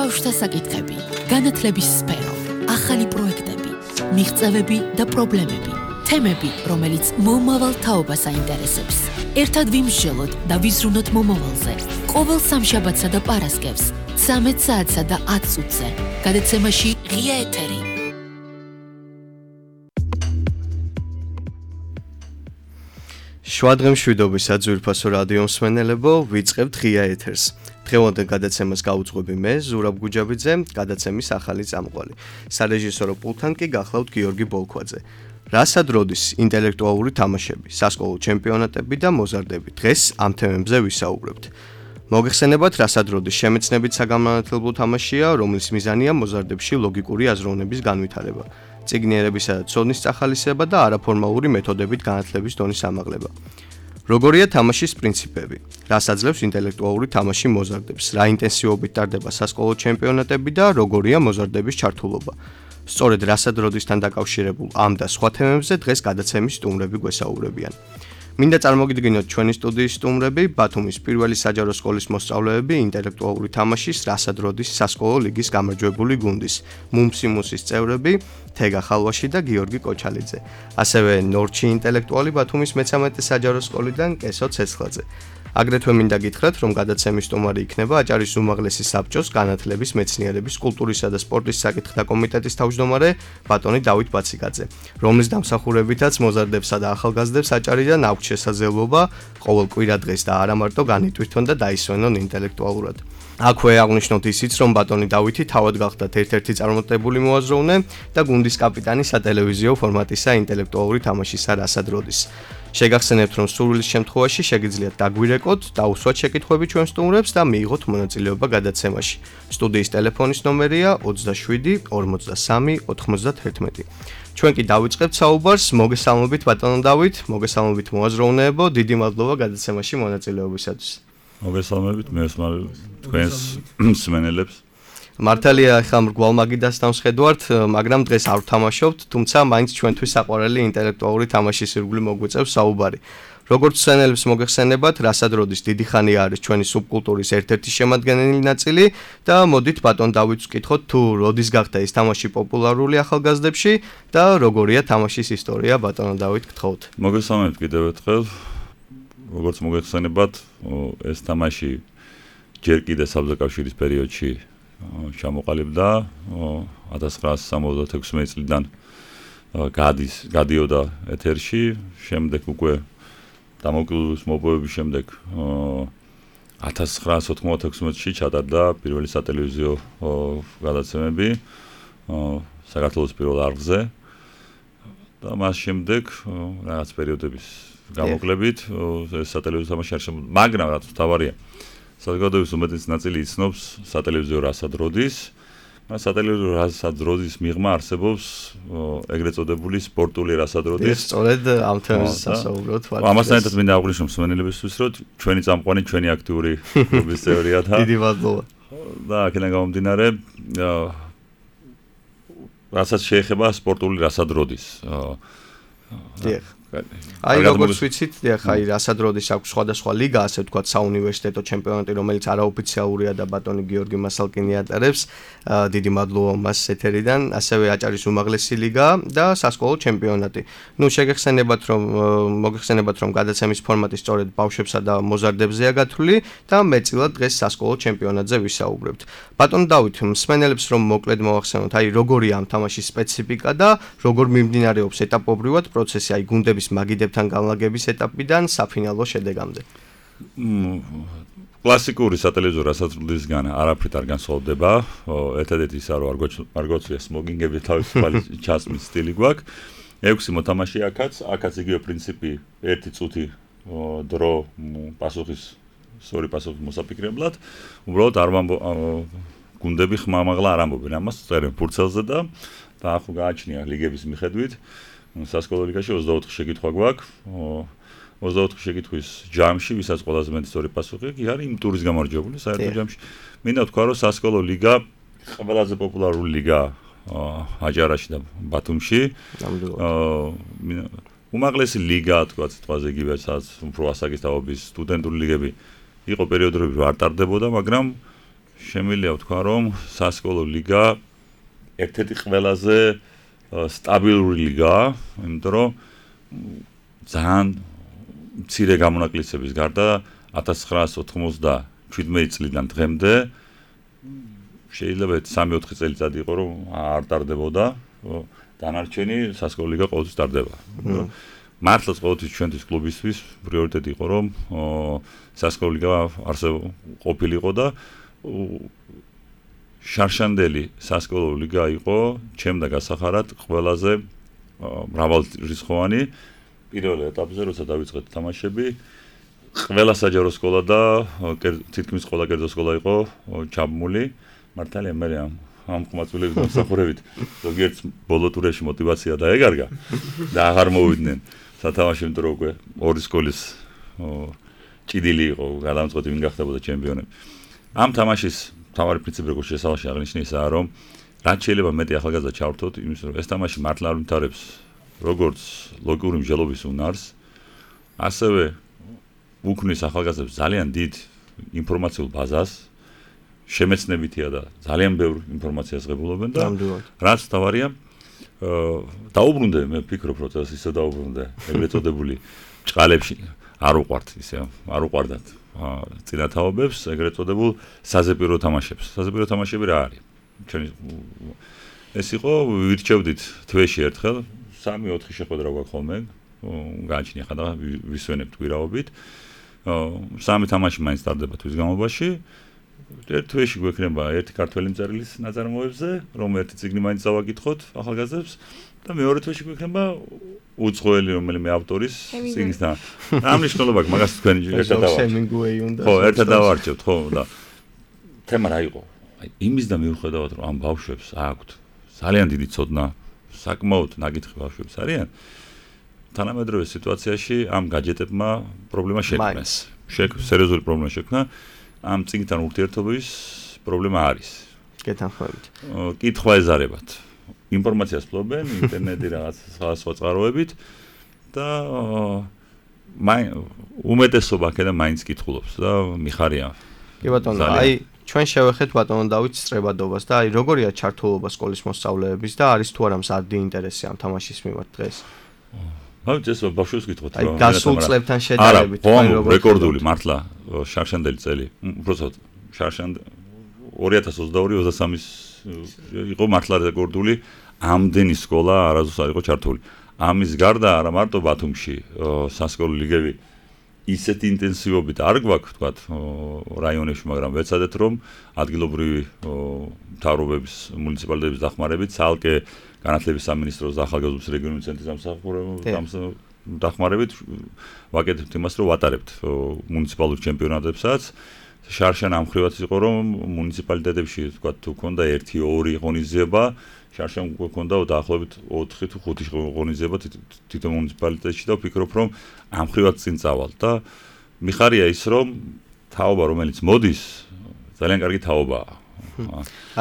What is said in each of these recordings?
ბავშვთა საკითხები, განათლების სფერო, ახალი პროექტები, მიღწევები და პრობლემები, თემები, რომელიც მომავალ თაობას აინტერესებს. ერთად ვიმსჯელოთ და ვიზრუნოთ მომავალზე. ყოველ სამშაბათსა და პარასკევს, 13 საათსა და 10 წუთზე. გადაცემაში ღია ეთერი. შვადღემშვიდობისა ძვირფასო რადიო მსმენელებო, ვიწყებთ ღია ეთერს. დღევანდელ გადაცემას გავუძღვები მე, ზურაბ გუჯაბიძე, გადაცემის ახალი წამყვანი. სარეჟისორო პულტთან კი გახლავთ გიორგი ბოლქვაძე. რასად როდის ინტელექტუალური თამაშები, სასკოლო ჩემპიონატები და მოზარდები. დღეს ამ თემებზე ვისაუბრებთ. მოგეხსენებათ, რასად როდის შემეცნებით საგანმანათლებლო თამაშია, რომლის მიზანია მოზარდებში ლოგიკური აზროვნების განვითარება, წიგნიერებისა და ცოდნის წახალისება და არაფორმალური მეთოდებით განათლების დონის ამაღლება. როგორია თამაშის პრინციპები? რას აძლევს ინტელექტუალური თამაში მოზარდებს? რა ინტენსივობით ტარდება სასკოლო ჩემპიონატები და როგორია მოზარდების ჩართულობა? სწორედ რასად როდისთან დაკავშირებულ ამ და სხვა თემებზე დღეს გადაცემის სტუმრები გვესაუბრებიან. მინდა წარმოგიდგინოთ ჩვენი სტუდიის სტუმრები, ბათუმის პირველი საჯარო სკოლის მოსწავლეები, ინტელექტუალური თამაშის რასად როდის სასკოლო ლიგის გამარჯვებული გუნდის, მუმსიმუსის წევრები, თეგა ხალვაში და გიორგი კოჩალიძე. ასევე ნორჩი ინტელექტუალი ბათუმის მე-13 საჯარო სკოლიდან კესო ცეცხლაძე. აგრეთვე მინდა გითხრათ, რომ გადაცემის სტუმარი იქნება აჭარის უმაღლესი საბჭოს განათლების, მეცნიერების, კულტურისა და სპორტის საკითხთა კომიტეტის თავმჯდომარე ბატონი დავით ბაციკაძე, რომლის დამსახურებითაც მოზარდებსა და ახალგაზრდებს აჭარიდან აქვთ შესაძლებლობა ყოველ კვირა დღეს და არა მარტო განიტვირთონ და დაისვენონ ინტელექტუალურად. აქვე აღნიშნოთ ისიც, რომ ბატონი დავითი თავად გახდათ ერთ-ერთი წარმატებული მოაზროვნე და გუნდის კაპიტანი სატელევიზიო ფორმატისა ინტელექტუალური თამაშისა რასად როდის. შეგახსენებთ, რომ სურვილის შემთხვევაში შეგიძლიათ დაგვირეკოთ, დაუსვათ შეკითხვები ჩვენ სტუმრებს და მიიღოთ მონაწილეობა გადაცემაში. სტუდიის ტელეფონის ნომერია 27 43 91. ჩვენ კი დავიწყებთ საუბარს. მოგესალმებით ბატონო დავით, მოგესალმებით მოაზროვნეებო, დიდი მადლობა გადაცემაში მონაწილეობისათვის. მოგესალმებით, მე თქვენს მსმენელებს. მართალია, ახლა მრგვალ მაგიდასთან ვხედავთ, მაგრამ დღეს არ ვთამაშობთ, თუმცა მაინც ჩვენთვის საყვარელი ინტელექტუალური თამაშის ირგვლივ მოგვიწევს საუბარი. როგორც მსმენელებს მოგეხსენებათ, რასად როდის დიდი ხანი არის ჩვენი სუბკულტურის ერთ-ერთი შემადგენელი ნაწილი და მოდით ბატონ დავითს ვკითხოთ, თუ როდის გახდა ეს თამაში პოპულარული ახალგაზრდებში და როგორია თამაშის ისტორია, ბატონო დავით, გთხოვთ. მოგესალმებით კიდევ ერთხელ. როგორც მოგეხსენებათ, ეს თამაში ჯერ კიდევ საბჭოთა პერიოდში ჩამოყალიბდა 1976 წლიდან გადიოდა ეთერში, შემდეგ უკვე დამოუკიდებლობის მოპოვების შემდეგ 1996-ში ჩატარდა პირველი სატელევიზიო გადაცემები საქართველოს პირველ არხზე და მას შემდეგ რაღაც პერიოდების გამოკლებით ეს სატელევიზიო თამაში არ შემოგვიდა, მაგრამ რაც მთავარია, საზოგადოების უმეტესი ნაწილი იცნობს სატელევიზიო რასად როდის. სატელევიზიო რასად როდის მიღმა არსებობს ეგრეთ წოდებული სპორტული რასად როდის. სწორედ ამ თემაზე სასაუბროთ. ამასთან ერთად მინდა აღვნიშნო მსმენელებისთვის, რომ ჩვენი წამყვანი, ჩვენი აქტიური კლუბის წევრია და დიდი მადლობა. და აქედან გამომდინარე, რასაც შეეხება სპორტული რასად როდის. აი როგორც ვიცით, აი რასად როდის აქვს სხვადასხვა ლიგა, ასე ვთქვათ, საუნივერსიტეტო ჩემპიონატი, რომელიც არაოფიციალურია და ბატონი გიორგი მასალკინი ატარებს. დიდი მადლობა მას ეთერიდან, ასევე აჭარის უმაღლესი ლიგა და სასკოლო ჩემპიონატი. ნუ მოგეხსენებათ, რომ გადაცემის ფორმატი სწორედ ბავშვებსა და მოზარდებზეა გათვლილი და მეტწილად დღეს სასკოლო ჩემპიონატზე ვისაუბრებთ. ბატონ დავით, მსმენელებს რომ მოკლედ მოახსენოთ, აი როგორია ამ თამაშის სპეციფიკა და როგორ მიმდინარეობს ეტაპობრივად პროცესი, აი გუნდების მაგიდებთან განლაგების ეტაპიდან საფინალო შედეგამდე. კლასიკური სატელევიზიო რასაძლისგან არაფრით არ განსხვავდება. ერთადერთი ისა, რომ არ გვაქვს სმოგინგები თავისუფალი ჩასმის სტილი გვაქვს. 6 მოთამაშე აქაც იგივე პრინციპი, 1 წუთი დრო სწორი პასუხის მოსაფიქრებლად. უბრალოდ გუნდები ხმამაღლა არ ამბობენ ამას, წერენ ფურცელზე და ახლა გააჩნია ლიგების მიხედვით. სასკოლო ლიგაში 24 შეკითხვა გვაქვს. 24 შეკითხვის ჯამში, ვისაც ყველაზე მეტი სწორი პასუხი აქვს, არის იმ ტურის გამარჯვებული საერთო ჯამში. მინდა ვთქვა, რომ სასკოლო ლიგა ყველაზე პოპულარული ლიგაა აჭარაში და ბათუმში. უმაღლესი ლიგა, თქვა სიტყვაზე იგივე, სადაც უფრო ასაკის თაობის სტუდენტური ლიგები იყო პერიოდები, რომ არ ტარდებოდა, მაგრამ შემიძლია ვთქვა, რომ სასკოლო ლიგა ერთ-ერთი ყველაზე სტაბილური ლიგაა, იმიტომ რომ ძალიან მცირე გამონაკლისების გარდა 1997 წლიდან დღემდე შეიძლება 3-4 წელიწადი იყო რომ არ ტარდებოდა, დანარჩენი სასკოლო ლიგა ყოველთვის ტარდება. მართლაც ყოველთვის ჩვენთვის კლუბისთვის პრიორიტეტი იყო რომ სასკოლო ლიგა ყოფილიყო და შარშანდელი სასკოლო ლიგა იყო ჩემ და გასახარად ყველაზე მრავალრიცხოვანი პირველ ეტაპზე როცა დავიწყეთ თამაშები ყველა საჯარო სკოლა და თითქმის ყველა კერძო სკოლა იყო ჩაბმული მართალია მე ამ ხმაწვილების დამსახურებით ზოგიერთ ბოლო ტურებში мотиваცია დაეგარგა და აღარ მოვიდნენ სათამაშო იმიტომ რომ უკვე ორი სკოლის ჭიდილი იყო გადამწყვეტი ვინ გახდებოდა ჩემპიონები ამ თამაშის თავარი პრინციპი როგორც შესავალში აღნიშნე ისაა რომ რაც შეიძლება მეტი ახალგაზრდა ჩავრთოთ იმის რომ ეს თამაში მართლა არ ვითარებს როგორც ლოგიკური მსჯელობის უნარს ასევე უქმნის ახალგაზრდებს ძალიან დიდ ინფორმაციულ ბაზას შემეცნებითია და ძალიან ბევრ ინფორმაციას ღებულობენ და რაც თავარია დაუბრუნდე მე ვფიქრობ რომ ისე დაუბრუნდე ეგრეთ წოდებული ჭყალებში არ უყვართ ისე არ უყვარდათ წინათაობებს ეგრეთ წოდებულ საზეპირო თამაშებს საზეპირო თამაშები რა არის ჩვენი ეს იყო ვირჩევდით თვეში ერთხელ 3-4 შეხვედრა გვაქვს ხოლმე გააჩნია ხა და ვისვენებთ გვირაობით სამი თამაში მაინც ტარდება თვის განმავლობაში ერთ თვეში გვექნება ერთი ქართველი მწერლის ნაწარმოებზე რომ ერთი წიგნი მაინც დავაკითხოთ ახალგაზრდებს და მეორე თვეში გვექნება უცხოელი რომელიმე ავტორის წიგნის და რა მნიშვნელობა აქვს მაგას თქვენ ერთად დავარჩევთ ხო და თემა რა იყო აი იმის და მიუხედავად რომ ამ ბავშვებს აქვთ ძალიან დიდი ცოდნა საკმაოდ ნაკითხი ბავშვებს არიან თანამედროვე სიტუაციაში ამ გაჯეტებმა პრობლემა შექმნეს სერიოზული პრობლემა შექმნა ამ წიგნთან ურთიერთობის პრობლემა არის გეთანხმებით კითხვა ეზარებათ ინფორმაციას ფლობენ ინტერნეტი რაღაც სხვა წყაროებით და უმეტესობა აქედან მაინც კითხულობს და მიხარია კი ბატონო აი ჩვენ შევეხეთ ბატონო დავით სწრებადობას და აი როგორია ჩართულობა სკოლის მოსწავლეების და არის თუ არა მზარდი ინტერესი ამ თამაშის მიმართ დღეს ეს ბავშვებს გითხოთ რა. აი გასულ წლებთან შედარებით რეკორდული მართლა შარშანდელი წელი. უბრალოდ შარშანდ 2022-23-ის იყო მართლა რეკორდული ამდენი სკოლა არასდროს არ იყო ჩართული. ამის გარდა არა მარტო ბათუმში სასკოლო ლიგები ისეთ ინტენსივობით არ გვაქვს თქვათ რაიონებში, მაგრამ ვეცადეთ რომ ადგილობრივი მთავრობების მუნიციპალიტეტების დახმარებით ცალკე განათლების სამინისტროს და ახალგაზრდობის რეგიონული ცენტრის დახმარებით ვაკეთებთ იმას, რომ ვატარებთ მუნიციპალურ ჩემპიონატებსაც. შარშან ამ ხრივაც იყო, რომ მუნიციპალიტეტებში თქვათ თუ ქონდა 1-2 ღონისძიება, შარშან უკვე ქონდა დაახლოებით 4 თუ 5 ღონისძიება თვითონ მუნიციპალიტეტში და ვფიქრობ, რომ ამ ხრივაც წინ წავალ და მიხარია ის, რომ თაობა რომელიც მოდის, ძალიან კარგი თაობაა.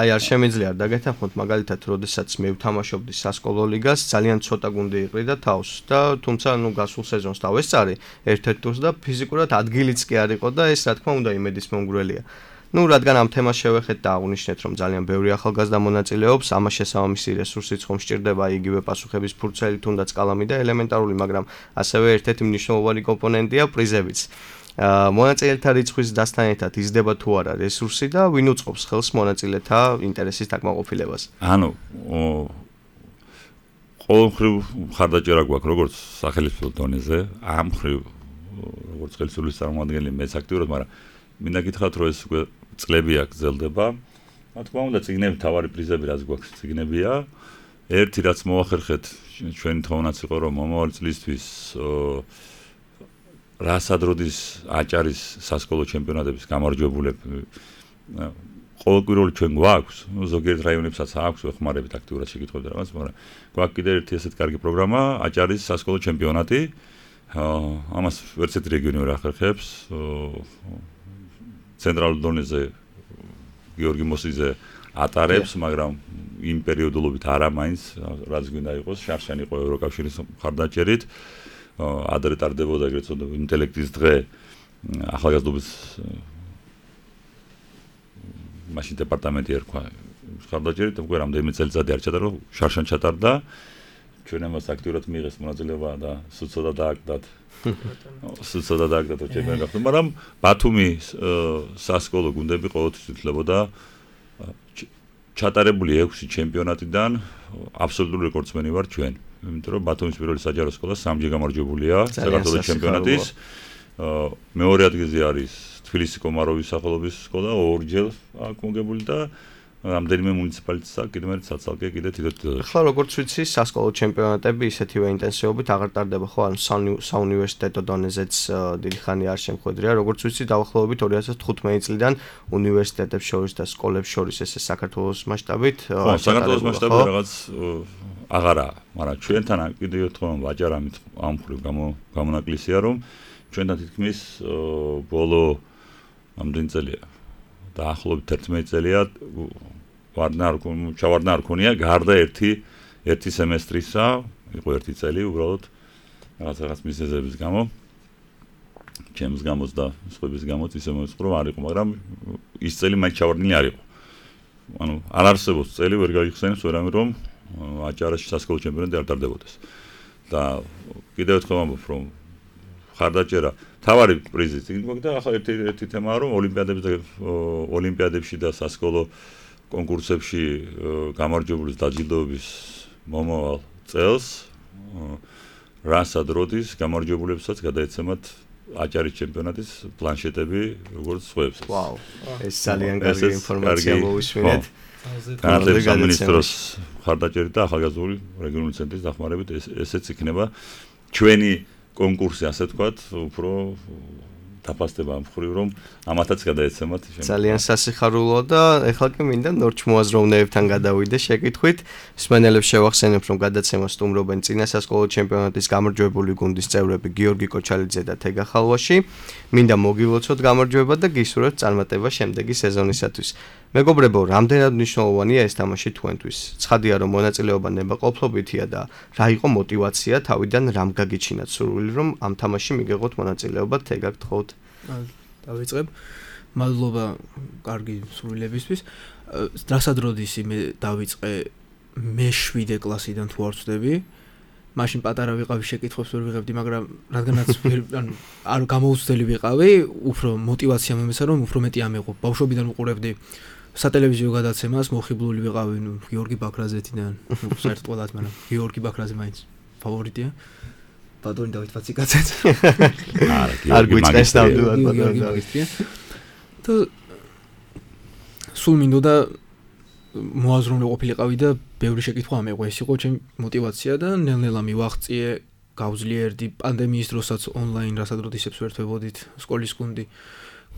აი არ შემიძლია არ დაგეთანხმოთ მაგალითად როდესაც მე ვთამაშობდი სასკოლო ლიგას ძალიან ცოტა გუნდი იყრიდა თავს და თუმცა გასულ სეზონს დავესწარი ერთ-ერთ ტურს და ფიზიკურად ადგილიც კი არ იყო და ეს რა თქმა უნდა იმედის მომგვრელია. რადგან ამ თემას შევეხეთ და აღვნიშნეთ რომ ძალიან ბევრი ახალგაზრდა მონაწილეობს, ამას შესაბამისი რესურსიც ხომ სჭირდება იგივე პასუხების ფურცელი თუნდაც კალამი და ელემენტარული, მაგრამ ასევე ერთ-ერთი მნიშვნელოვანი კომპონენტია პრიზებიც. მონაწილეთა რიცხვის დასთან ერთად იზრდება თუ არა რესურსი და ვინ უწყობს ხელს მონაწილეთა ინტერესის დაკმაყოფილებას. ანუ ყოველმხრივ მხარდაჭერა გვაქვს როგორც სახელმწიფო დონეზე, ამ მხრივ როგორც ხელისუფლების წარმომადგენელი მეც აქტიურად, მაგრამ მინდა გითხრათ რომ ეს უკვე წლები აგრძელდება. რა თქმა უნდა, წიგნები თავარი პრიზები რაც გვაქვს წიგნებია. ერთი რაც მოახერხეთ ჩვენი თხოვნაც იყო რომ მომავალი წლისთვის რასადროდის აჭარის სასკოლო ჩემპიონატების გამარჯვებულები ყოველკვირეული ჩვენ გვაქვს, ზოგიერთ რაიონებსაც აქვს, ვეხმარებით აქტიურად შეკითხებთ რაღაც, მაგრამ გვაქვს კიდევ ერთი ესეთ კარგი პროგრამა, აჭარის სასკოლო ჩემპიონატი. ამას ვერც ერთი რეგიონი ვერ ახერხებს. ცენტრალურ დონეზე გიორგი მოსიძე ატარებს, მაგრამ იმ პერიოდულობით არა მაინც, რაც გვინდა იყოს, შარშან იყო ევროკავშირის მხარდაჭერით. ადრე ტარდებოდა ეგრეთ წოდებული ინტელექტის დღე ახალგაზრდობის მაშინ დეპარტამენტი ერქვა ხარდაჭერით, უკვე რამდენიმე წელიწადი არ ჩატარდა, შარშან ჩატარდა. ჩვენ ამას აქტიურად მიიღეს მონაწილეობა და სუცოდა დააგდათ. სუცოდა დააგდათ ჩემი გახდა, მაგრამ ბათუმი სასკოლო გუნდები ყოველთვის ითვლებოდა ჩატარებული 6 ჩემპიონატიდან აბსოლუტური რეკორდსმენი ვარ ჩვენ. იმიტომ რომ ბათუმის პირველი საჯარო სკოლა 3-ჯერ გამარჯვებულია საქართველოს ჩემპიონატის. მეორე ადგილზე არის თბილისის კომაროვის სახელობის სკოლა 2-ჯერ აქ მოგებული და რამდენიმე მუნიციპალიტეტს აქვს კიდევ ერთ საცალკე კიდე თითო-თითო. ხო, როგორც ვიცი, სასკოლო ჩემპიონატები ისეთივე ინტენსივობით აღარ ტარდება, ხო, ან საუნივერსიტეტო დონეზეც დიდი ხანი არ შემხვედრია. როგორც ვიცი, დაახლოებით 2015 წლიდან უნივერსიტეტებს შორის და სკოლებს შორის ესე საქართველოს მასშტაბით. ხო, საქართველოს მასშტაბით რაღაც აღარაა, მაგრამ ჩვენთან კიდევ ერთხელ ვაჭარ ამ მხრივ გამონაკლისია, რომ ჩვენთან თითქმის ბოლო ამდენი წელია დაახლოებით 11 წელია ჩავარდნა არ ქონია გარდა ერთი სემესტრისა, იყო ერთი წელი უბრალოდ რაღაც მიზეზების გამო ჩემს გამოც და სხვების გამოც ისე მოიწყო რომ არ იყო, მაგრამ ის წელი მაინც ჩავარდნილი არ იყო. ანუ არ არსებობს წელი ვერ გაიხსენებს ვერამე რომ აჭარაში სასკოლო ჩემპიონატი არ ტარდებოდეს. და კიდევ ერთხელ ვამბობ რომ ხარდაჭერა თავარი პრიზი წიგნი და ახლა ერთი თემაა რომ ოლიმპიადებში და სასკოლო კონკურსებში გამარჯვებულის დაჯილდოების მომავალ წელს რასად როდის გამარჯვებულებსაც გადაეცემათ აჭარის ჩემპიონატის პლანშეტები როგორც სხვებს. ვაუ, ეს ძალიან კარგი ინფორმაცია მოვისმინეთ. განათლების სამინისტროს ხარდაჭერით და ახალგაზრდული რეგიონული ცენტრის დახმარებით ესეც იქნება ჩვენი კონკურსი, ასე ვთქვათ, უფრო დაფასდება ამ მხრივ, რომ ამათაც გადაეცემათ. ძალიან სასიხარულოა და ეხლა კი მინდა ნორჩ მოაზროვნეებთან გადავიდე შეკითხვით. მსმენელებს შევახსენებ, რომ გადაცემა სტუმრობენ წინა სასკოლო ჩემპიონატის გამარჯვებული გუნდის წევრები გიორგი კოჩალიძე და თეგა ხალვაში. მინდა მოგილოცოთ გამარჯვება და გისურვებთ წარმატება შემდეგი სეზონისათვის. მეგობრებო, რამდენად მნიშვნელოვანია ეს თამაში თქვენთვის? ცხადია, რომ მონაწილეობა ნებაყოფლობითია და რა იყო мотиваცია თავიდან რამ გაგიჩინათ სურვილი, რომ ამ თამაში მიგეღოთ მონაწილეობა, თეგა გთხოვთ. დავიწყებ. მადლობა კარგი სურვილებისთვის. რასად როდის მე დავიწყე მე 7 კლასიდან თუ არ ვწდები. მაშინ პატარა ვიყავი, შეკითხვებს ვერ ვიღებდი, მაგრამ რადგანაც ანუ არ გამოუცდელი ვიყავი, უფრო мотиваცია მომეცა, რომ უფრო მეტი ამეღო. ბავშვობიდან ვუყურებდი სატელევიზიო გადაცემას, მოხიბლული ვიყავი, გიორგი ბაქრაძეთიდან, საერთოდ ყველას, მაგრამ გიორგი ბაქრაძე მაინც ფავორიტია. ბატონი დავით ფაციკაცეც. არ გვიწყეს ნამდვილად ბატონი დავით. და სულ მინდოდა მოაზროვნე ყოფილიყავი და ბევრი შეკითხვა ამეყო, ეს იყო ჩემი мотиваცია და ნელ-ნელა მივაღწიე, გავძლიერდი პანდემიის დროსაც ონლაინ რასაც როდისებს ვერთვებოდით სკოლის გუნდი.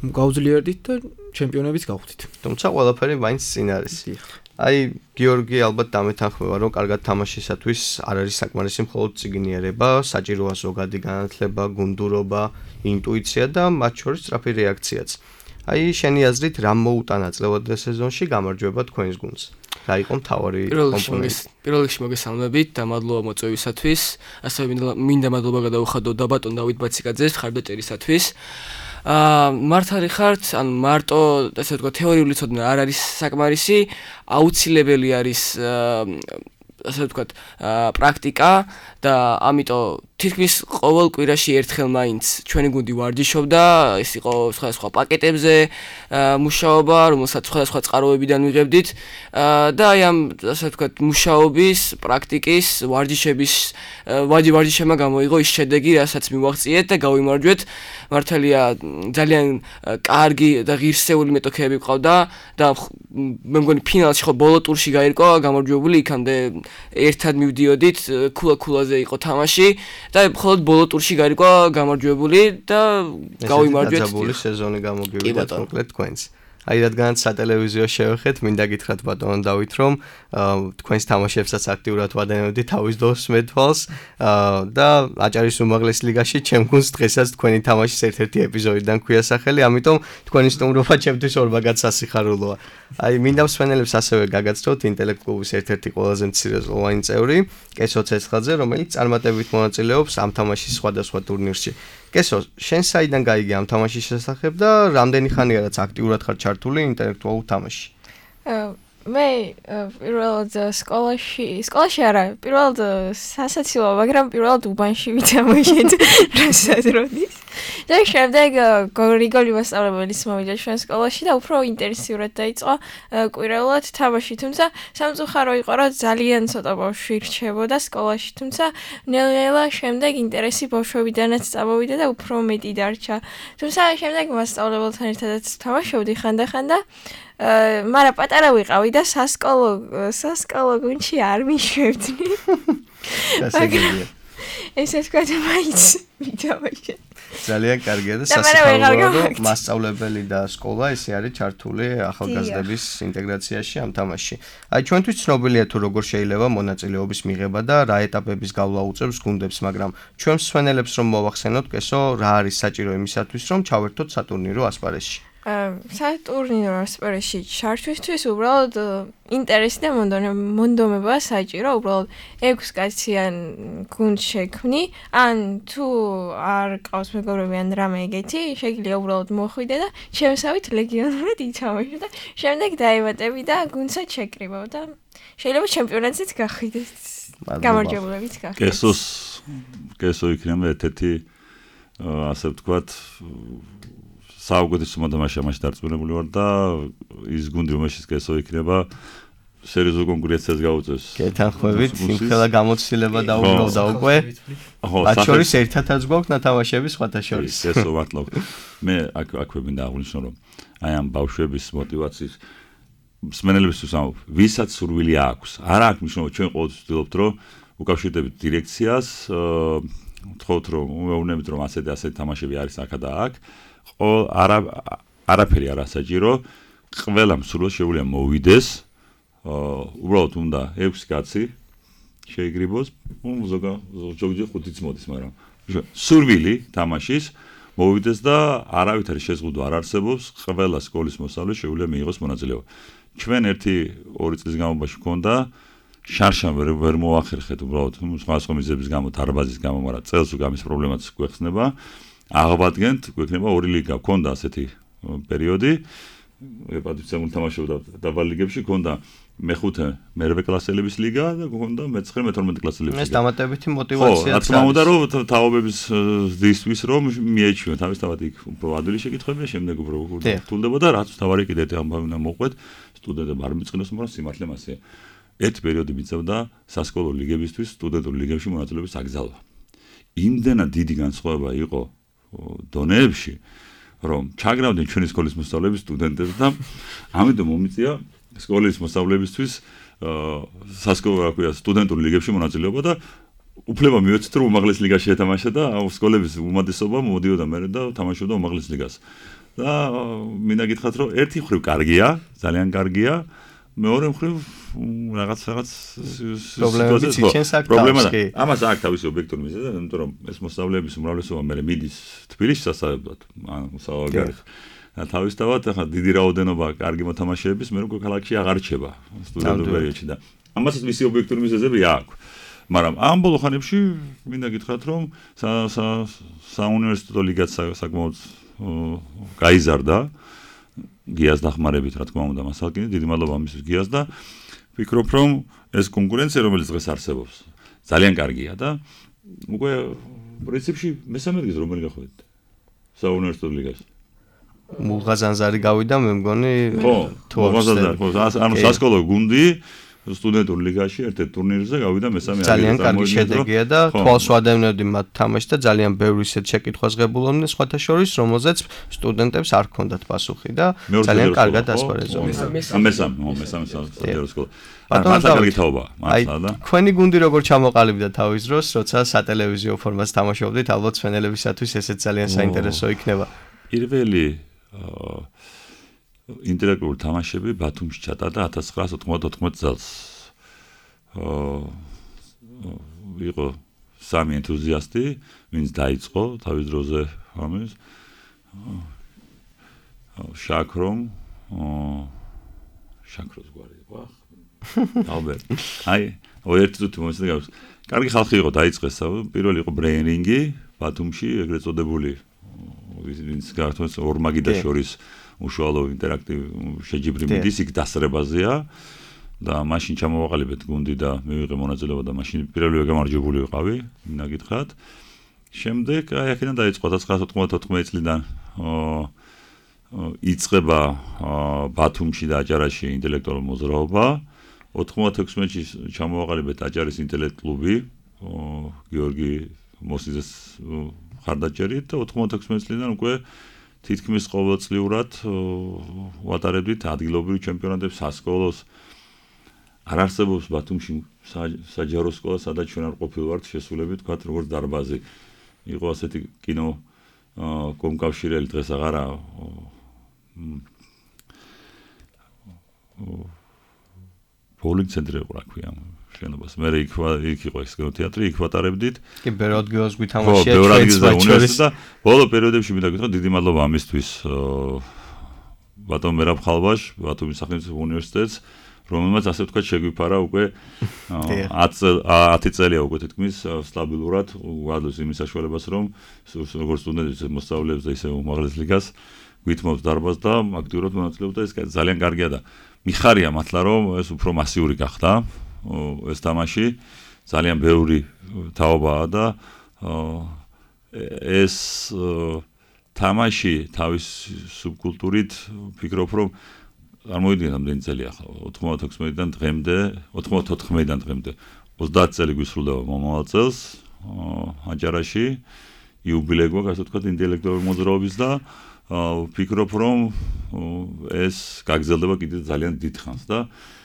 გავძლიერდით და ჩემპიონებიც გავხდით. თუმცა ყველაფერი მაინც წინ არის. აი გიორგი ალბათ დამეთანხმება, რომ კარგად თამაშისათვის არ არის საკმარისი მხოლოდ წიგნიერება, საჭიროა ზოგადი განათლება, გუნდურობა, ინტუიცია და მათ შორის სწრაფი რეაქციაც. აი შენი აზრით რა მოუტანა წლევადელ სეზონში გამარჯვება თქვენს გუნდს? რა იყო მთავარი კომპონენტი? პირველ რიგში მოგესალმებით და მადლობა მოწვევისათვის. ასევე მინდა მადლობა გადაუხადო და ბატონ დავით ბაციკაძეს ხარდაჭერისათვის. მართალი ხართ, ან მარტო ესე ვთქვა თეორიული ცოდნა არ არის საკმარისი, აუცილებელი არის ასე ვთქვათ პრაქტიკა და ამიტომ თითქმის ყოველ კვირაში ერთხელ მაინც ჩვენი გუნდი ვარჯიშობდა, ეს იყო სხვადასხვა პაკეტებზე მუშაობა, რომელსაც სხვადასხვა წყაროებიდან ვიღებდით და აი ამ ასე ვთქვათ მუშაობის, პრაქტიკის, ვარჯიშებმა გამოიღო ის შედეგი, რასაც მივაღწიეთ და გავიმარჯვეთ. მართალია ძალიან კარგი და ღირსეული მეტოქეები ყავდა და მე მგონი ფინალში ხო ბოლო ტურში გაირკვა გამარჯვებული, იქამდე ერთად მივდიოდით, ქულა-ქულაზე იყო თამაში და მხოლოდ ბოლო ტურში გაირკვა გამარჯვებული და გავიმარჯვეთ. დაძაბული სეზონი გამოგივიდა მოკლედ თქვენს. აი რადგანაც სატელევიზიო შევეხეთ, მინდა გითხრათ ბატონ დავით, რომ თქვენს თამაშებსაც აქტიურად ვადენებდი თავის დროს მეთვალს და აჭარის უმაღლეს ლიგაში ჩემ გუნდს დღესაც თქვენი თამაშის ერთ-ერთი ეპიზოდიდან ქვია სახელი, ამიტომ თქვენი სტუმრობა ჩემთვის ორმაგად სასიხარულოა. აი მინდა მსმენელებს ასევე გაგაცნოთ ინტელექტ კლუბის ერთ-ერთი ყველაზე მცირეწლოვანი წევრი, კესო ცეცხლაძე, რომელიც წარმატებით მონაწილეობს ამ თამაშის სხვადასხვა ტურნირში. კესო, შენ საიდან გაიგე ამ თამაშის შესახებ და რამდენი ხანია რაც აქტიურად ხარ ჩართული ინტელექტუალურ თამაშში? მე პირველად სკოლაში არა, პირველად სასაცილო, მაგრამ პირველად უბანში ვითამაშეთ რასაც როდის. და შემდეგ გრიგოლი მასწავლებლის მოვიდა ჩვენ სკოლაში და უფრო ინტენსიურად დაიწყო კვირაულად თამაში, თუმცა სამწუხარო იყო, რომ ძალიან ცოტა ბავშვი რჩებოდა სკოლაში, თუმცა ნელ-ნელა შემდეგ ინტერესი ბავშვებიდანაც წამოვიდა და უფრო მეტი დარჩა. თუმცა შემდეგ მასწავლებელთან ერთადაც თამაშობდი ხანდახან და მაგრამ პატარა ვიყავი და სასკოლო გუნდში არ მიშვებდი. ესე თქვა და მაინც ვიტამაშე. ძალიან კარგია და სასწავლო მასწავლებელი და სკოლა ესე არის ჩართული ახალგაზრდების ინტეგრაციაში ამ თამაშში. აი ჩვენთვის ცნობილია თუ როგორ შეიძლება მონაწილეობის მიღება და რა ეტაპების გავლა უწევს გუნდებს, მაგრამ ჩვენ მსვენელებს რომ მოვახსენოთ, კესო, რა არის საჭირო იმისათვის, რომ ჩავერთოთ სატურნირო ასპარეზში? სატურნირო ასპარეზში ჩართვისთვის უბრალოდ ინტერესი და მონდომება საჭირო, უბრალოდ 6 კაციან გუნდს შექმნი, ან თუ არ ყავს მეგობრები ან რამე ეგეთი, შეგიძლია უბრალოდ მოხვიდე და შემოსავით ლეგიონურად ითამაშო და შემდეგ დაემატები და გუნდსაც შეკრიბავ და შეიძლება ჩემპიონატზეც გახვიდეთ. გამარჯვებულებით გახვიდეთ. კესო იქნება ერთ-ერთი ასე ვთქვათ საუკეთესო მოთამაშე ამაში დარწმუნებული ვარ და ის გუნდი რომელშიც კესო იქნება სერიოზულ კონკურენციას გაუწევს. გეთანხმებით, იმხელა გამოცდილება დაუბრუნდა უკვე. მათ შორის ერთადაც გვაქვს ნათამაშები სხვათა შორის. კესო მართლა. მე აქვე მინდა აღვნიშნო რომ აი ამ ბავშვების мотиваციის მსმენელებისთვის ამბობ, ვისაც სურვილი აქვს. არა აქვს მნიშვნელობა, ჩვენ ყოველთვის ვცდილობთ რომ უკავშირდებით დირექციას, ვთხოვთ რომ უეუბნებით რომ ასეთი თამაშები არის აქ და აქ. არაფერი არ ასაჭირო, ყველა მსურველს შეუძლია მოვიდეს, უბრალოდ უნდა 6 კაცი შეიგრიბოს, ზოგჯერ 5-იც მოდის, მაგრამ სურვილი თამაშის მოვიდეს და არავითარი შეზღუდვა არ არსებობს, ყველა სკოლის მოსწავლე შეუძლია მიიღოს მონაწილეობა. ჩვენ 1-2 წლის განმავლობაში გვქონდა შარშან ვერ მოახერხეთ უბრალოდ სხვა მიზეზების გამო, დარბაზის გამო, მაგრამ წელს უკვე ამის პრობლემაც გვეხსნება. აღვადგენთ, გვექნება 2 ლიგა, გქონდა ასეთი პერიოდი, პატრიცემულ თამაშობდა დაბალ ლიგებში, გქონდა მე-5, მე-8 კლასელების ლიგა და გქონდა მე-9, მე-12 კლასელების ლიგა. ეს დამატებითი мотиваციაა. რა თქმა უნდა, რომ თაობების ზრდისთვის რომ მიეჩვიოთ, თავისთავად იქ უფრო ადვილი შეკითხვებია, შემდეგ უფრო რთულდებოდა, რაც თავარი კიდე ამბავი უნდა მოყვეთ, სტუდენტები არ მიწყნოს, მაგრამ სიმართლე მასეა. ერთ პერიოდი მიწევდა სასკოლო ლიგებისთვის, სტუდენტურ ლიგებში მონაწილეობის აკრძალვა. იმდენად დიდი განსხვავება იყო დონეებში, რომ ჩაგრავდნენ ჩვენი სკოლის მოსწავლეების სტუდენტებს და ამიტომ მომიწია სკოლის მოსწავლებისთვის სასკოლო რა ქვია სტუდენტურ ლიგებში მონაწილეობა და უფლება მიეცეთ რომ უმაღლეს ლიგაში ეთამაშა და სკოლების უმეტესობა მოდიოდა მერე და თამაშობდა უმაღლეს ლიგას. და მინდა გითხრათ რომ ერთი მხრივ კარგია, ძალიან კარგია, მეორე მხრივ რაღაც პრობლემაა. ამას აქვს თავისი ობიექტური მიზეზი, იმიტომ რომ ეს მოსწავლეების უმრავლესობა მერე მიდის თბილისში სასწავლებლად, მოსწავლეები. და თავისთავად ახლა დიდი რაოდენობა კარგი მოთამაშეების მე უკვე ქალაქში აღარ რჩება სტუდენტურ პერიოდში და ამასაც მისი ობიექტური მიზეზები აქვს. მაგრამ ამ ბოლო ხანებში მინდა გითხრათ რომ საუნივერსიტეტო ლიგაც საკმაოდ გაიზარდა გიას დახმარებით, რა თქმა უნდა, მასალკინი, დიდი მადლობა ამისთვის გიას და ვფიქრობ, რომ ეს კონკურენცია, რომელიც დღეს არსებობს, ძალიან კარგია და უკვე პრინციპში მესამე ადგილს რომელი გახვედით საუნივერსიტეტო ლიგაში. მუღაზანზარი გავიდა, მე მგონი, თუ ანუ სასკოლო გუნდი სტუდენტურ ლიგაში ერთ-ერთ ტურნირზე გავიდა მესამე ადგილზე. ძალიან კარგი შედეგია და თვალს ვადევნებდი მათ თამაშს და ძალიან ბევრი ისეთ შეკითხვას ღებულობდნენ სხვათა შორის, რომელზეც სტუდენტებს არ ჰქონდათ პასუხი და ძალიან კარგად ასპარეზობდნენ. მესამე საჯარო სკოლა. მართლა კარგი თაობა, მართლა და თქვენი გუნდი როგორ ჩამოყალიბდა თავის დროს, როცა სატელევიზიო ფორმას თამაშობდით, ალბათ სვენელებისათვის ესეც ძალიან საინტერესო იქნება. პირველი ინტელექტუალური თამაშები ბათუმში ჩატარდა 1994 წელს. იყო 3 ენთუზიასტი, ვინც დაიწყო თავის დროზე ამის. შაქროს გვარი იყო. ალბათ. აი, ერთი წუთი მომეცდა გავს. კარგი ხალხი იყო დაიწყეს, პირველი იყო ბრეინინგი, ბათუმში ეგრეთ წოდებული ვინც გართმევს ორმაგიდა შორის უშუალო ინტერაქტივ შეჯიბრი მიდის იქ დასწრებაზეა და მაშინ ჩამოვაყალიბეთ გუნდი და მივიღე მონაწილეობა და მაშინ პირველივე გამარჯვებული ვიყავი მინდა გითხრათ შემდეგ აი აქედან დაიწყო 1994 წლიდან იწყება ბათუმში და აჭარაში ინტელექტუალური მოძრაობა 96-ში ჩამოვაყალიბეთ აჭარის ინტელექტ კლუბი გიორგი მოსიძეს ხარდაჭერით და 96 წლიდან უკვე თითქმის ყოველწლიურად ვატარებდით ადგილობრივ ჩემპიონატებს სასკოლოს არ არსებობს ბათუმში საჯარო სკოლა სადაც ჩვენ არ ყოფილვართ შესულები თქვათ როგორც დარბაზი იყო ასეთი კინო კომკავშირელი დღეს აღარა ბოულინგ ცენტრი იყო რა ქვია შენობას მე იქ იყო ეს კინოთეატრი იქ ვატარებდით კი ბევრ ადგილას გვითამაშია ბევრ ადგილზე უნივერსიტეტსა ბოლო პერიოდებში მინდა გითხრათ დიდი მადლობა ამისთვის ბატონ მერაბ ხალბაშ ბათუმის სახელმწიფო უნივერსიტეტს რომელმაც ასე ვთქვათ შეგვიფარა უკვე 10 წელია უკვე თითქმის სტაბილურად უადლოს იმის საშუალებას რომ როგორც სტუდენტებს მოსწავლეებს და ისე უმაღლეს ლიგას გვითმობს დარბაზს და აქტიურად მონაწილეობდა ეს ძალიან კარგია და მიხარია მართლა რომ ეს უფრო მასიური გახდა ეს თამაში ძალიან ბევრი თაობაა და ეს თამაში თავის სუბკულტურით ფიქრობ რომ წარმოიდგინე რამდენი წელი ახლა 96-დან დღემდე 94-დან დღემდე 30 წელი გვისრულდება მომავალ წელს აჭარაში იუბილეი გვაქვს ასე ვთქვათ ინტელექტუალური მოძრაობის და ვფიქრობ რომ ეს გაგრძელდება კიდევ ძალიან დიდ ხანს და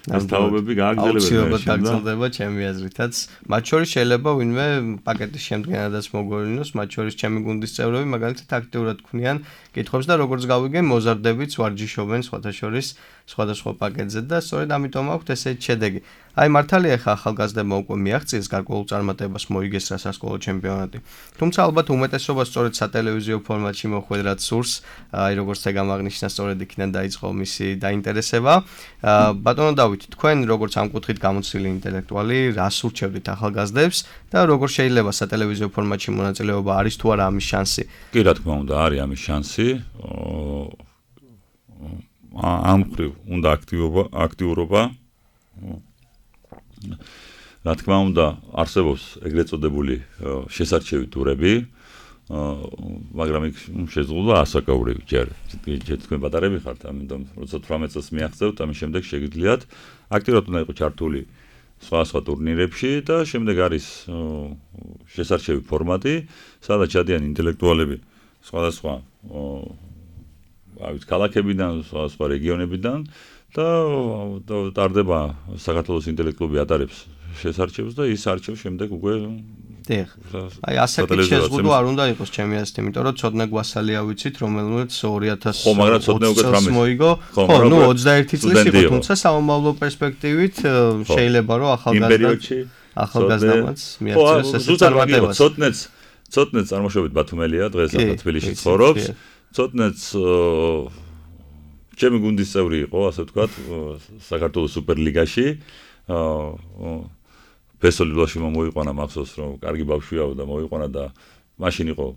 ეს თაობები აუცილებლად გაგრძელდება ჩემი აზრითაც მათ შორის შეიძლება ვინმე პაკეტის შემდგენადაც მოგვევლინოს მათ შორის ჩემი გუნდის წევრები მაგალითად აქტიურად ქმნიან კითხვებს და როგორც გავიგე მოზარდებიც ვარჯიშობენ სხვათა შორის სხვადასხვა პაკეტზე და სწორედ ამიტომ აქვთ ესეთი შედეგი აი მართალია ხა ახალგაზრდებმა უკვე მიაღწიეს გარკვეულ წარმატებას მოიგეს რა სასკოლო ჩემპიონატი თუმცა ალბათ უმეტესობა სწორედ სატელევიზიო ფორმატში მოხვედრად სურს აი როგორც ეგამ აღნიშნა სწორედ იქიდან დაიწყო მისი დაინტერესება ბატონო დავით თქვენ როგორც ამ კუთხით გამოცდილი ინტელექტუალი რას ურჩევდით ახალგაზრდებს და როგორ შეიძლება სატელევიზიო ფორმატში მონაწილეობა არის თუ არა ამის შანსი კი რა თქმა უნდა არის ამის შანსი ამ ხრივ უნდა აქტიურობა რა თქმა უნდა არსებობს ეგრეთ წოდებული შესარჩევი ტურები მაგრამ იქ შეზღუდვა ასაკაური ჯერ თქვენ პატარები ხართ ამიტომ როცა 18 წელს მიაღწევთ ამის შემდეგ შეგიძლიათ აქტიურად უნდა იყოს ჩართული სხვა ტურნირებში და შემდეგ არის შესარჩევი ფორმატი სადაც ჩადიან ინტელექტუალები სხვადასხვა ავით ქალაქებიდან სხვა რეგიონებიდან და ტარდება საქართველოს ინტელექტუალები ატარებს შესარჩევს და ის არჩევს შემდეგ უკვე აი ასაკით შეზღუდვა არ უნდა იყოს ჩემი აზრით იმიტომ რომ ცოდნა გვასალია ვიცით რომელმაც 2000 ხო მაგრამ ცოდნა უკვე 18 მოიგო ხო ნუ 21 წლის იყო თუმცა სამომავლო პერსპექტივით შეიძლება რომ ახალგაზრდამაც მიაღწიოს ეს წარმატებას ცოდნეც წარმოშობით ბათუმელია დღეს ახლა თბილისში ცხოვრობს ცოდნეც ჩემი გუნდის წევრი იყო ასე ვთქვათ საქართველოს სუპერლიგაში ბესოლიდაში მოიყვანა მახსოვს რომ კარგი ბავშვია და მოიყვანა და მაშინ იყო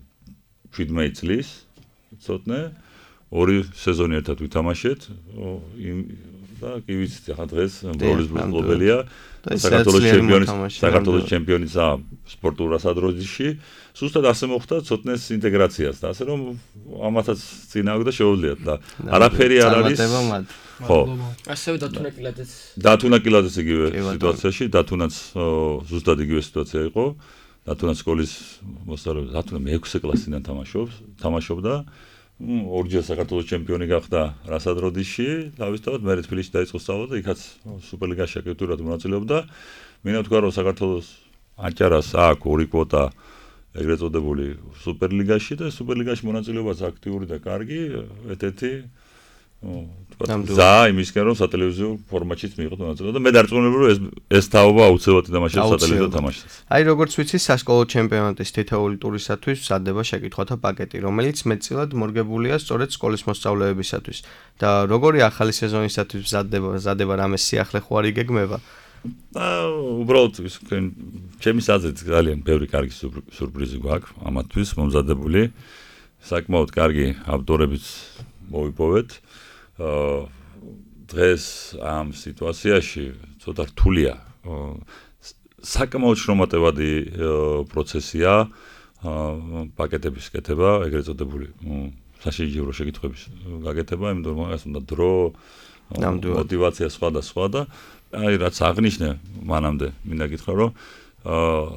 17 წლის ცოტნე ორი სეზონი ერთად ვითამაშეთ და კი ვიცით ახლა დღეს ბროლის ბლობელია საქართველოს ჩემპიონია სპორტულ რასადროძიში ზუსტად ასე მოხდა ცოტნეს ინტეგრაციას და ასე რომ ამათაც წინააღმდეგ და შეუძლიათ და არაფერი არ არის ხო ასევე დათუნა კილაძეც იგივე სიტუაციაში დათუნაც ზუსტად იგივე სიტუაცია იყო დათუნა სკოლის მოსწავლე დათუნა მე-6 კლასიდან თამაშობდა ორჯერ საქართველოს ჩემპიონი გახდა რასადროძიში თავისთავად მე თბილისში დაიწყო სწავლა და იქაც სუპერლიგაში აქტიურად მონაწილეობდა მინდა ვთქვა რომ საქართველოს აჭარას აქვს ორი კვოტა ეგრეთ წოდებული სუპერლიგაში და სუპერლიგაში მონაწილეობაც აქტიური და კარგი ერთ-ერთი და იმისკენ რომ სატელევიზიო ფორმატშიც მიიღოთ მონაწილეობა და მე დარწმუნებული რომ ეს თაობა აუცილებლად ითამაშებს სატელევიზიო თამაშს. აი როგორც ვიცი სასკოლო ჩემპიონატის თითოეული ტურისათვის მზადდება შეკითხვათა პაკეტი, რომელიც მეტწილად მორგებულია სწორედ სკოლის მოსწავლეებისათვის და როგორი ახალი სეზონისათვის მზადდება რამე სიახლე ხო არ იგეგმება? და უბრალოდ ჩემი აზრით ძალიან ბევრი კარგი სურპრიზი გვაქვს ამათთვის მომზადებული. საკმაოდ კარგი ავტორებიც მოვიპოვეთ. დღეს ამ სიტუაციაში ცოტა რთულია. საკმაოდ შრომატევადი პროცესია პაკეტების კეთება, ეგრეთ წოდებული საშიჯირო შეკითხვების გაკეთება, იმიტომ რომ მაგას უნდა დრო, мотивация სხვა და აი რაც აღნიშნე მანამდე მინდა გითხრა რომ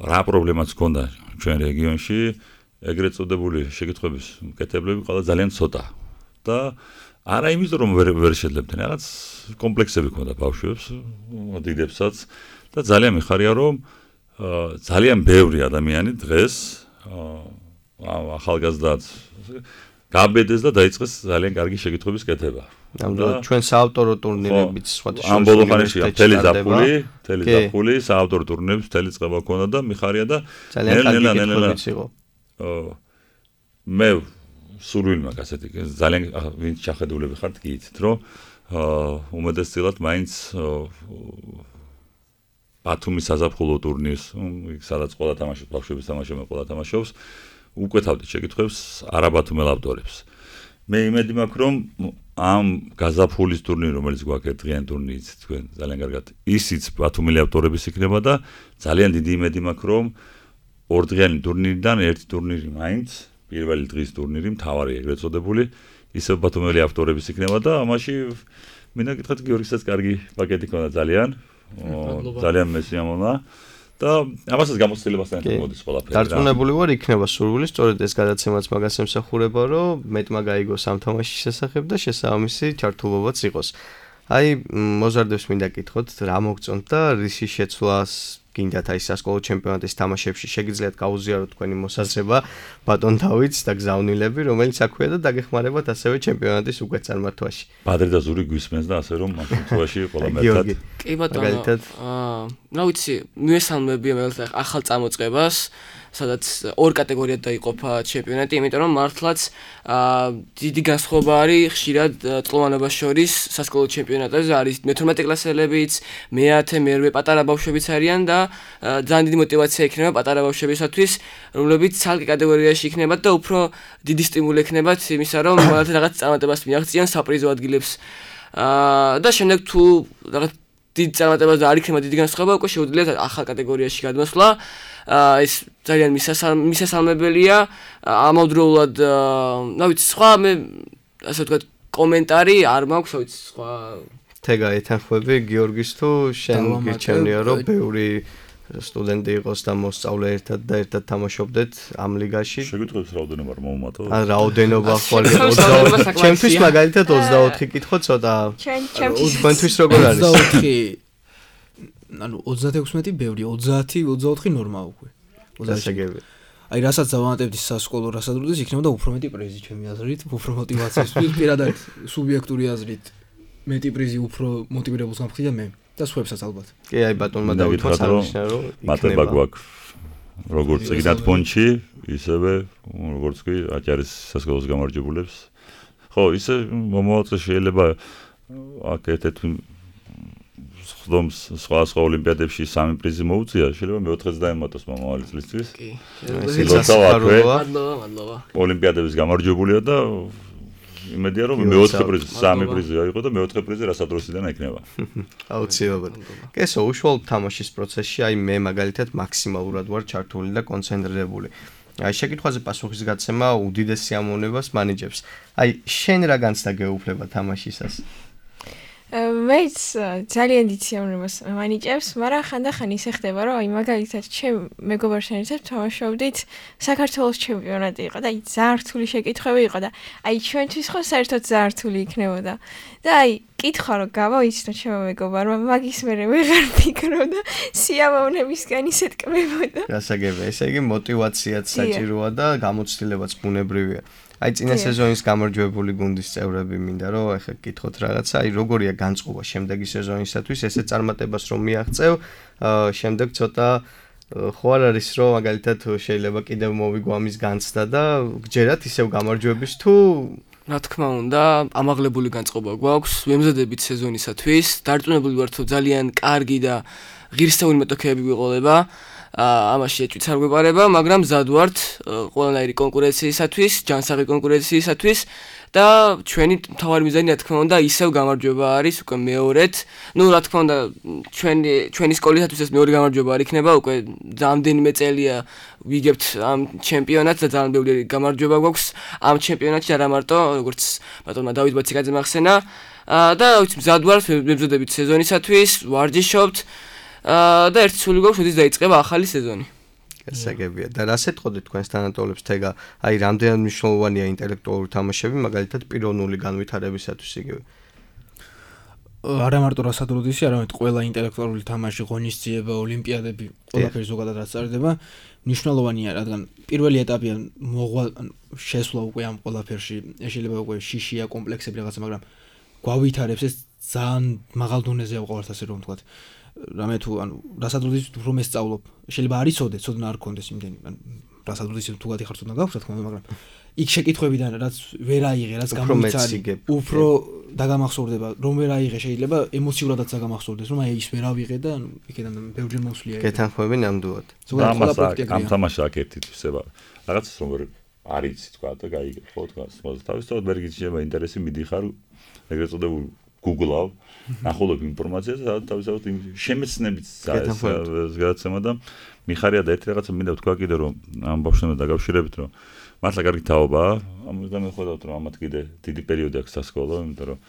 რა პრობლემაც ჰქონდა ჩვენ რეგიონში, ეგრეთ წოდებული შეკითხვების მკეთებლები ყველა ძალიან ცოტა და არა იმიტომ რომ ვერ შეძლებდნენ, რაღაც კომპლექსები ჰქონდა ბავშვებს, დიდებსაც და ძალიან მიხარია რომ ძალიან ბევრი ადამიანი დღეს ახალგაზრდად გაბედეს და დაიწყეს ძალიან კარგი შეკითხვების კეთება. ნამდვილად ჩვენ საავტორო ტურნირებიც სხვადასხვა ამ ბოლო ხანაში მთელი ზაფხული საავტორო ტურნირებს მთელი წყება ჰქონდა და მიხარია და ძალიან კარგი კითხვებიც იყო. მე სურვილმა ასეთი ძალიან ვინც ჩახედულები ხართ გიიცით რომ უმეტესწილად მაინც ბათუმის საზაფხულო ტურნირს სადაც ყველა თამაშობს ბავშვების თამაშობენ ყველა თამაშობს უკვეთავდით შეკითხვებს არაბათუმელ ავტორებს. მე იმედი მაქვს რომ ამ გაზაფხულის ტურნირი რომელიც გვაქვს ერთდღიანი ტურნირიც თქვენ ძალიან კარგად ისიც ბათუმელი ავტორების იქნება და ძალიან დიდი იმედი მაქვს რომ ორდღიანი ტურნირიდან ერთი ტურნირი მაინც პირველი დღის ტურნირი მთავარი ეგრეთ წოდებული ისევ ბათუმელი ავტორების იქნება და ამაში მინდა გითხრათ გიორგისაც კარგი პაკეტი ქონდა ძალიან მესიამონა და ამასაც გამოცდილებასთან ერთად მოდის ყველაფერი. დარწმუნებული ვარ იქნება სურვილი, სწორედ ეს გადაცემაც მაგას ემსახურება, რომ მეტმა გაიგოს ამ თამაშის შესახებ და შესაბამისი ჩართულობაც იყოს. აი მოზარდებს მინდა გითხოთ, რა მოგწონთ და რისი შეცვლას გინდათ აი სასკოლო ჩემპიონატის თამაშებში შეგიძლიათ გაუზიაროთ თქვენი მოსაზრება ბატონ დავითს და გზავნილები, რომელიც აქვეა და დაგეხმარებათ ასევე ჩემპიონატის უკვე წარმართვაში. ბადრი და ზური გვისმენს და ასე რომ ამ შემთხვევაში ყველა მერთად. კი ბატონო. რა ვიცი, მიესალმები მე ახალ წამოწყებას, სადაც ორ კატეგორიად დაიყოფა ჩემპიონატი, იმიტომ რომ მართლაც დიდი განსხვავება არის ხშირად წლოვანებას შორის სასკოლო ჩემპიონატებზე არის მე-12 კლასელებიც, მე-10, მე-8 პატარა ბავშვებიც არიან და ძალიან დიდი мотиваცია იქნება პატარა ბავშვებისათვის, რომლებიც ცალკე კატეგორიაში იქნებათ და უფრო დიდი სტიმული ექნებათ იმისა, რომ მათ რაღაც წარმატებას მიაღწიონ საპრიზო ადგილებს. და შემდეგ თუ რაღაც დიდ წარმატებას და არ იქნება დიდი განსხვავება, უკვე შეუძლიათ ახალ კატეგორიაში გადმოსვლა. ეს ძალიან მისასალმებელია. ამავდროულად, რა ვიცი, სხვა მე ასე ვთქვათ, კომენტარი არ მაქვს, რა ვიცი, სხვა თეგა ეთანხმები გიორგის თუ შენ გირჩევნია რომ ბევრი სტუდენტი იყოს და მოსწავლე ერთად თამაშობდეთ ამ ლიგაში. შეგიტყვევს რაოდენობა არ მომმატო? რაოდენობა ხვალ 24. ჩემთვის მაგალითად 24 კითხო ცოტა. ჩვენთვის როგორ არის? 24 ანუ 36 ბევრი, 30-24 ნორმა უკვე. 26. აი რასაც დავამატებთ სასკოლო რასადროდეს იქნებოდა უფრო მეტი პრიზი ჩემი აზრით, უფრო мотиваციისთვის, პირადად სუბიექტური აზრით მეტი პრიზი უფრო მოტივირებულს გამხდიდა მე და სხვაებსაც ალბათ. კი, აი ბატონმა დავითმოთ აღნიშნა რომ მატება გვაქვს როგორც ეგნათ პონჩი, ისევე როგორც კი აჭარის სასკოლოს გამარჯვებულებს. ხო, ისე მომავალში შეიძლება აქ ერთ-ერთ ხდომს სხვა ოლიმპიადებში 3 პრიზი მოუწია, შეიძლება მე-4-ს დაემატოს მომავალი წლისთვის. კი. მადლობა. ოლიმპიადების გამარჯვებულია და იმედია რომ მე-4 პრიზი, 3 პრიზი აიღო და მე-4 პრიზი რასადროსიდან ექნება. აუცილებლად. კესო, უშუალოდ თამაშის პროცესში აი მე მაგალითად მაქსიმალურად ვარ ჩართული და კონცენტრირებული. აი შეკითხვაზე პასუხის გაცემა უდიდეს სიამოვნებას მანიჭებს. აი შენ რა განცდა გეუფლება თამაშისას? მეც ძალიან დიდ სიამოვნებას მანიჭებს, მაგრამ ხანდახან ისე ხდება, რომ აი მაგალითად ჩემ მეგობართან ერთად თამაშობდით საქართველოს ჩემპიონატი იყო და აი ძალიან რთული შეკითხვები იყო და აი ჩვენთვის ხო საერთოდ ძალიან რთული იქნებოდა. და აი კითხვა რომ გავაიცნო ჩემო მეგობარმა, მაგის მერე ვეღარ ფიქრობდა სიამოვნებისგან ისეთ კმებოდა. გასაგებია, ესე იგი мотиваციაც საჭიროა და გამოცდილებაც ბუნებრივია. აი წინა სეზონის გამარჯვებული გუნდის წევრები მინდა რომ ახლა გითხოთ რაღაცა, აი როგორია განწყობა შემდეგი სეზონისათვის, ესე წარმატებას რომ მიაღწევ, შემდეგ ცოტა ხო არ არის რომ მაგალითად შეიძლება კიდევ მოვიგო ამის განცდა და გჯერათ ისევ გამარჯვების თუ რა თქმა უნდა, ამაღლებული განწყობა გვაქვს, ვემზადებით სეზონისათვის, დარწმუნებული ვართ, რომ ძალიან კარგი და ღირსეული მეტოქეები გვიყოლება. ამაში ეჭვიც არ გვეპარება, მაგრამ მზად ვართ ყველანაირი კონკურენციისათვის, ჯანსაღი კონკურენციისათვის და ჩვენი მთავარი მიზანი რა თქმა უნდა ისევ გამარჯვება არის უკვე მეორედ. ნუ რა თქმა უნდა ჩვენი სკოლისათვის ეს მეორე გამარჯვება არ იქნება, უკვე რამდენიმე წელია ვიგებთ ამ ჩემპიონატს და ძალიან ბევრი გამარჯვება გვაქვს ამ ჩემპიონატში, არა მარტო როგორც ბატონმა დავით ბაციკაძემ ახსენა და ვიცი მზად ვართ ვემზადებით სეზონისათვის, ვარჯიშობთ და ერთი სული გვაქვს, როდის დაიწყება ახალი სეზონი. გასაგებია. და რას ეთყოდეთ თქვენს თანატოლებს თეგა, აი რამდენად მნიშვნელოვანია ინტელექტუალური თამაშები, მაგალითად პიროვნული განვითარებისათვის იგივე. არა მარტო რასადროდისი, არამედ ყველა ინტელექტუალური თამაში, ღონისძიება, ოლიმპიადები, ყველაფერი ზოგადად რაც წარდება, მნიშვნელოვანია, რადგან პირველი ეტაპია მოღვალ შესვლა უკვე ამ ყველაფერში, შეიძლება უკვე შიშია, კომპლექსები რაღაცა, მაგრამ გვავითარებს ეს ძალიან მაღალ დონეზე ავყავართ ასე რომ ვთქვათ. რამე თუ ანუ რასადროდისი უფრო მესწავლობ, შეიძლება არ იცოდე, ცოდნა არ გქონდეს იმდენი, ანუ რასადროდისი თუ გათიხარ ცოდნა გაქვს, რა თქმა უნდა, მაგრამ იქ შეკითხვებიდან რაც ვერ აიღე, რაც გამოიცანი, უფრო დაგამახსოვრდება, რომ ვერ აიღე, შეიძლება ემოციურადაც დაგამახსოვრდეს, რომ აი ის ვერ ავიღე და ანუ იქიდან ბევრჯერ მოსვლია. გეთანხმები ნამდვილად. ამ თამაშს აქ ერთი თვისება. რაღაცას რომ ვერ არიცი თქვა და გაიგებ, ხო თქვა, თავისთავად ვერ გიჩნდება ინტერესი, მიდიხარ ეგრეთ წოდებულ Google-ავ, ნახულობ ინფორმაციას და თავისთავად შემეცნებით გადაცემა და მიხარია და ერთი რაღაცა მინდა ვთქვა კიდე რომ ამ ბავშვებთან დაკავშირებით რომ მართლა კარგი თაობაა, ამიტომ მეხვედავთ რომ ამათ კიდე დიდი პერიოდი აქვს სასკოლო, იმიტომ რომ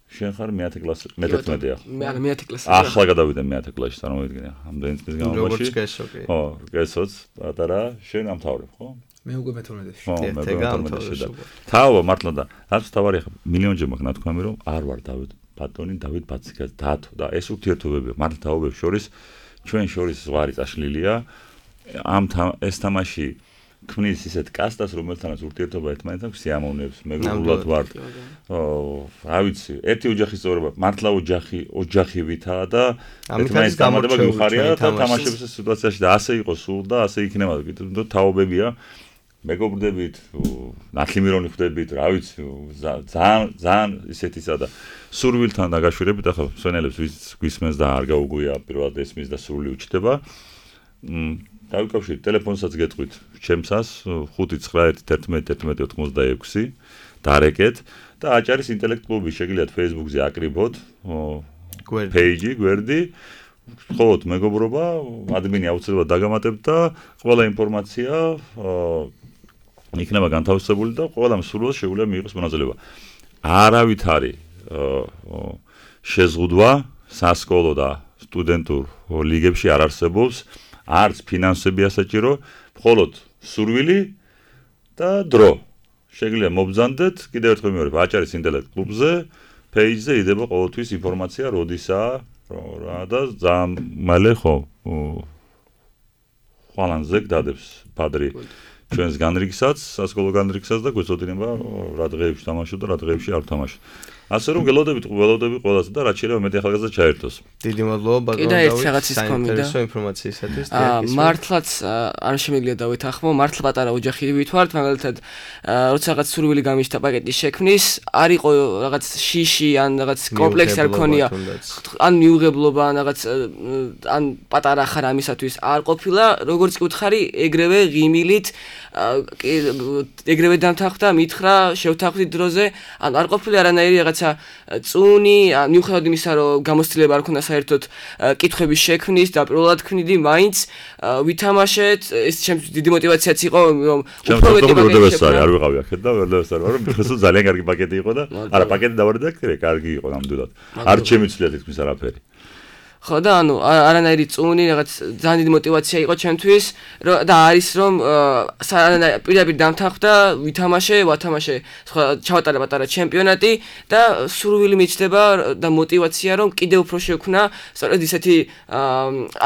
შენ ხარ მე-10 კლასი, მე-11 ახლა. მე არა მე-10 კლასი. ახლა გადავიდე მე-10 კლასში, წარმოვიდგინე, ამდენი წლის განმავლობაში. როგორც კესო კი. ხო, კესოც, პატარა, შენ ამთავრებ, ხო? მე უკვე მე-12-ში. ხო, მე-12-ში და თაობა მართლა და რაც თავარი ახლა მილიონჯერ მაქვს ნათქვამი რომ არ ვარ დავით ბაციკაძე დათო და ეს ურთიერთობები მართლა თაობებს შორის ჩვენ შორის ზღვარი წაშლილია ეს თამაში ქმნის ისეთ კასტას რომელთანაც ურთიერთობა ერთმანეთთან სიამოვნებს მეგობრულად ვართ რა ვიცი ერთი ოჯახის წევრობა მართლა ოჯახივითაა და ერთმანეთის დამატება გიხარია და თამაშების სიტუაციაში და ასე იყოს სულ და ასე იქნება კიდევ თაობებია მეგობრდებით ნათლი მირონი ხვდებით რა ვიცი ძალიან ისეთისა და სურვილთან დაგაშვირებით ახლა სვენელებს გვისმენს და არ გაუგვია პირველად ესმის და სრული უჩდება დავიკავშირეთ ტელეფონსაც გეტყვით ჩემსას 5911186 დარეკეთ და აჭარის ინტელექტ კლუბი შეგიძლიათ Facebook-ზე აკრიბოთ პეიჯი გვერდი ხოთ მეგობრობა ადმინი აუცილებლად დაგამატებთ და ყველა ინფორმაცია იქნება განთავსებული და ყველა მსურველს შეუძლია მიიღოს მონაწილეობა არავითარი შეზღუდვა სასკოლო და სტუდენტურ ლიგებში არ არსებობს არც ფინანსები ასაჭირო მხოლოდ სურვილი და დრო შეგიძლია მობრძანდეთ კიდევ ერთხელ მეორე აჭარის ინტელექტ კლუბზე პეიჯზე იდება ყოველთვის ინფორმაცია როდისაა რა და ძალიან მალე ხო ხვალანზე გდადებს პადრი ჩვენს განრიგსაც სასკოლო განრიგსაც და გვეცოდინება რა დღეებში თამაშობ და რა დღეებში არ ვთამაშობ ასე რომ გელოდებით ყველას და რაც შეიძლება მეტი ახალგაზრდა ჩაერთოს. დიდი მადლობა ბატონო დავით. საინტერესო ინფორმაციისათვის. მართლაც არ შემიძლია დავითანხმო, მართლა პატარა ოჯახივით ვართ, მაგალითად, როცა რაღაც სურვილი გამიშთა პაკეტის შექმნის, არ იყო რაღაც შიში ან რაღაც კომპლექსი არ ქონია. ან მიუღებლობა ან რაღაც ან პატარა ხარ ამისათვის არ ყოფილა, როგორც კი უთხარი, ეგრევე ღიმილით ეგრევე დამთანხმდა, მითხრა, შევთანხმდი დროზე, ან არ ყოფილა არანაირი რაღაცა წუნი, მიუხედავად იმისა, რომ გამოცდილება არ ქონდა საერთოდ კითხვების შექმნის, დაპირველად ქმნიდი, მაინც ვითამაშეთ, ეს ჩემთვის დიდი мотиваციაც იყო, რომ უფრო მეტი პაკეტი არ ვიყავი აქეთ და ვერ დავესწარ, რომ ხესო ძალიან კარგი პაკეტი იყო და არა პაკეტი დავარდა, კარგი იყო ნამდვილად. არ შემიძლია თითქმის არაფერი. ხო და ანუ არანაირი წუნი რაღაც ძალიან დიდი мотиваცია იყო ჩემთვის და არის რომ პირდაპირ დამთანხმდა ვითამაშე ვათამაშე სხვა ჩავატარე პატარა ჩემპიონატი და სურვილი მიჩნდება და мотиваცია რომ კიდევ უფრო შევქნა სწორედ ისეთი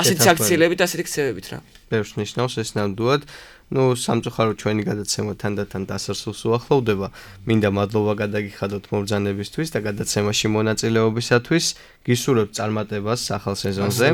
ასეთი აქციელებით ასეთი ქცევებით რა ბევრს ნიშნავს ეს ნამდვილად ну სამწუხაროდ ჩვენი გადაცემა თანდათან დასასრულს უახლოვდება. მინდა მადლობა გადაგიხადოთ მობრძანებისთვის და გადაცემაში მონაწილეობისათვის. გისურვებთ წარმატებას ახალ სეზონზე.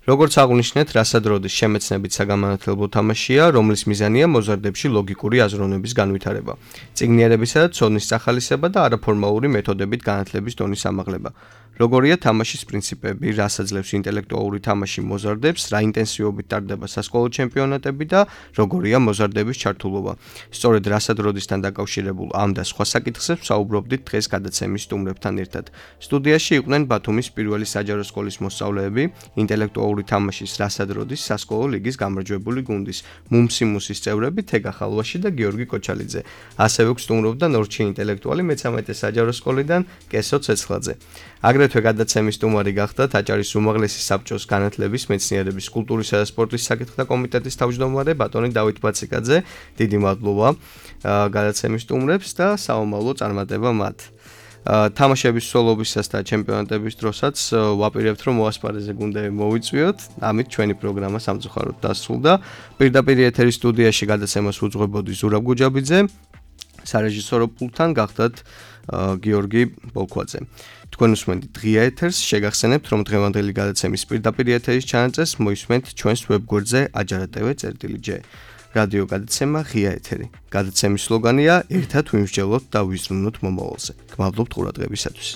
როგორც აღვნიშნეთ, რასადროდის შემეცნებით საგამანათლებლო თამაშია, რომლის მიზანია მოზარდებში ლოგიკური აზროვნების განვითარება, წიგნიერებისა და ცოდნის სახალისება და არაფორმალური მეთოდებით განათლების დონის ამაღლება. როგორია თამაშის პრინციპები, რას აძლევს ინტელექტუალური თამაში მოზარდებს, რა ინტენსივობით ტარდება სასკოლო ჩემპიონატები და როგორია მოზარდების ჩართულობა. სწორედ რასადროდისთან დაკავშირებულ ამ და სხვა საკითხებს საუბრობდით დღეს გადაცემის სტუმრებთან ერთად. სტუდიაში იყვნენ ბათუმის პირველი საჯარო სკოლის მოსწავლეები, ინტელექტუალური თამაშის რასადროდის სასკოლო ლიგის გამარჯვებული გუნდის მუმსიმუსის წევრები თეგა ხალვაში და გიორგი კოჩალიძე. ასევე გსტუმრობდა ნორჩი ინტელექტუალი მე-13 საჯარო სკოლიდან კესო ცეცხლაძე. აგრეთვე გადაცემის სტუმარი გახდათ აჭარის უმაღლესი საბჭოს განათლების, მეცნიერების, კულტურისა და სპორტის საკითხთა კომიტეტის თავმჯდომარე ბატონი დავით ბაციკაძე. დიდი მადლობა გადაცემის სტუმრებს და საომავლო წარმატება მათ. თამაშების სოლობისას და ჩემპიონატების დროსაც ვაპირებთ, რომ მოასპარეზე გუნდები მოვიწვიოთ. ამით ჩვენი პროგრამა სამწუხაროდ დასრულდა. პირდაპირ ეთერის სტუდიაში გადაცემას უძღვებოდი ზურაბ გუჯაბიძე. სარეჟისორო პულტთან გახდათ გიორგი ბოლქვაძე. თქვენ უსმენთ ღია ეთერს, შეგახსენებთ, რომ დღევანდელი გადაცემის პირდაპირ ეთერის ჩანაწერს მოისმენთ ჩვენს ვებგვერდზე ajaratv.j. რადიო გადაცემა ღია ეთერი. გადაცემის სლოგანია ერთად ვიმსჯელოთ და ვიზრუნოთ მომავალზე. გმადლობთ ყურადღებისათვის.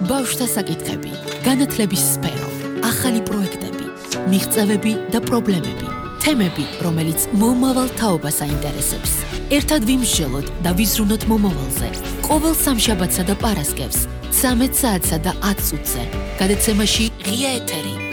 ბავშვთა საკითხები, განათლების სფერო, ახალი პროექტები, მიღწევები და პრობლემები, თემები, რომელიც მომავალ თაობას აინტერესებს. ერთად ვიმსჯელოთ და ვიზრუნოთ მომავალზე. ყოველ სამშაბათსა და პარასკევს 13 საათსა და 10 წუთზე. გადაცემაში ღია ეთერი.